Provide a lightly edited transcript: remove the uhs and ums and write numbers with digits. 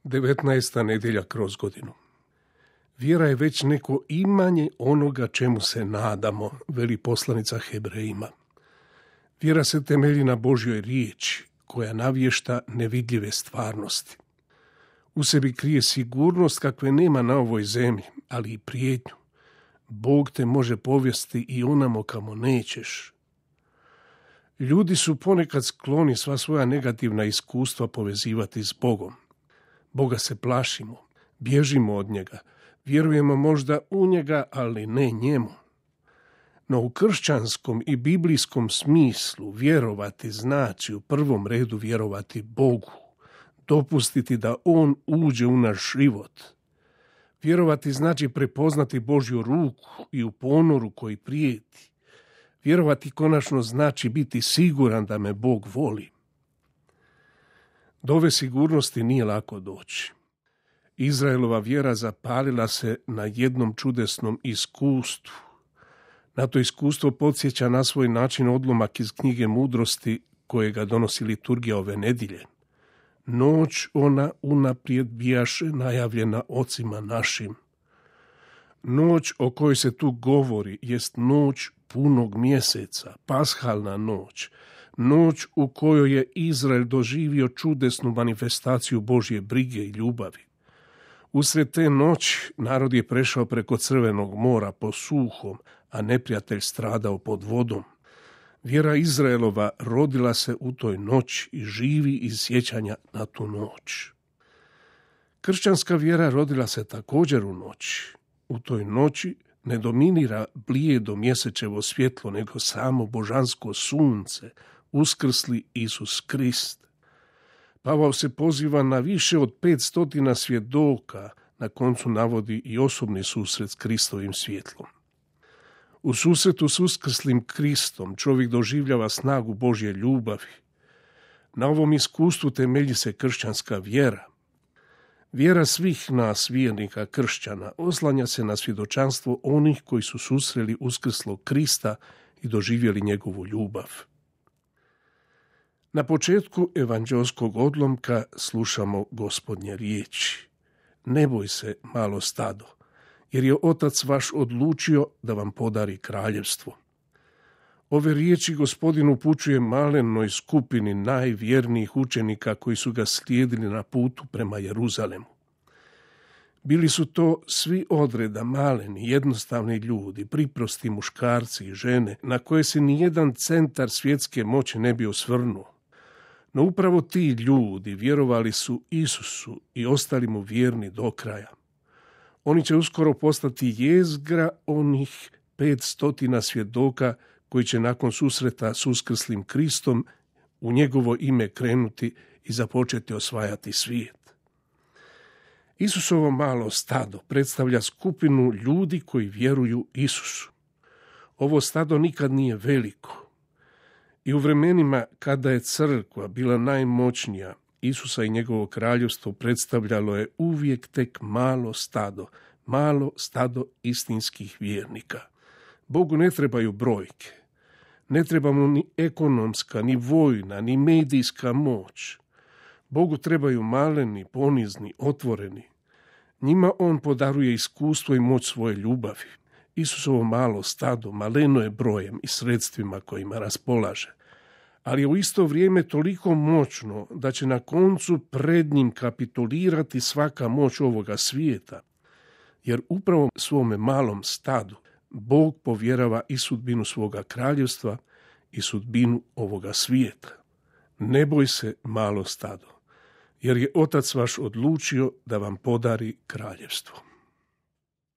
19. nedjelja kroz godinu. Vjera je već neko imanje onoga čemu se nadamo, veli poslanica Hebrejima. Vjera se temelji na Božjoj riječi, koja navješta nevidljive stvarnosti. U sebi krije sigurnost kakve nema na ovoj zemlji, ali i prijetnju. Bog te može povesti i onamo kamo nećeš. Ljudi su ponekad skloni sva svoja negativna iskustva povezivati s Bogom. Boga se plašimo, bježimo od njega, vjerujemo možda u njega, ali ne njemu. No u kršćanskom i biblijskom smislu vjerovati znači u prvom redu vjerovati Bogu, dopustiti da On uđe u naš život. Vjerovati znači prepoznati Božju ruku i u ponoru koji prijeti. Vjerovati konačno znači biti siguran da me Bog voli. Do ove sigurnosti nije lako doći. Izraelova vjera zapalila se na jednom čudesnom iskustvu. Na to iskustvo podsjeća na svoj način odlomak iz knjige Mudrosti kojega donosi liturgija ove nedjelje. Noć ona unaprijed bijaše najavljena ocima našim. Noć o kojoj se tu govori jest noć punog mjeseca, pashalna noć, noć u kojoj je Izrael doživio čudesnu manifestaciju Božje brige i ljubavi. Usred te noći narod je prešao preko Crvenog mora po suhom, a neprijatelj stradao pod vodom. Vjera Izraelova rodila se u toj noći i živi iz sjećanja na tu noć. Kršćanska vjera rodila se također u noći. U toj noći ne dominira blijedo mjesečevo svjetlo, nego samo božansko sunce, uskrsli Isus Krist. Pavao se poziva na više od 500 svjedoka, na koncu navodi i osobni susret s Kristovim svjetlom. U susretu s uskrslim Kristom čovjek doživljava snagu Božje ljubavi. Na ovom iskustvu temelji se kršćanska vjera. Vjera svih nas, vjernika kršćana, oslanja se na svjedočanstvo onih koji su susreli uskrslog Krista i doživjeli njegovu ljubav. Na početku evanđelskog odlomka slušamo Gospodnje riječi. Ne boj se, malo stado, jer je Otac vaš odlučio da vam podari kraljevstvo. Ove riječi Gospodin upućuje malenoj skupini najvjernijih učenika koji su ga slijedili na putu prema Jeruzalemu. Bili su to svi odreda maleni, jednostavni ljudi, priprosti muškarci i žene, na koje se nijedan centar svjetske moći ne bi osvrnuo. No upravo ti ljudi vjerovali su Isusu i ostali mu vjerni do kraja. Oni će uskoro postati jezgra onih 500 svjedoka koji će nakon susreta s uskrslim Kristom u njegovo ime krenuti i započeti osvajati svijet. Isusovo malo stado predstavlja skupinu ljudi koji vjeruju Isusu. Ovo stado nikad nije veliko. I u vremenima kada je crkva bila najmoćnija, Isusa i njegovo kraljevstvo predstavljalo je uvijek tek malo stado istinskih vjernika. Bogu ne trebaju brojke, ne treba mu ni ekonomska, ni vojna, ni medijska moć. Bogu trebaju maleni, ponizni, otvoreni. Njima on podaruje iskustvo i moć svoje ljubavi. Isusovo malo stado maleno je brojem i sredstvima kojima raspolaže, ali je u isto vrijeme toliko moćno da će na koncu pred njim kapitulirati svaka moć ovoga svijeta, jer upravo svome malom stadu Bog povjerava i sudbinu svoga kraljevstva i sudbinu ovoga svijeta. Ne boj se, malo stado, jer je Otac vaš odlučio da vam podari kraljevstvo.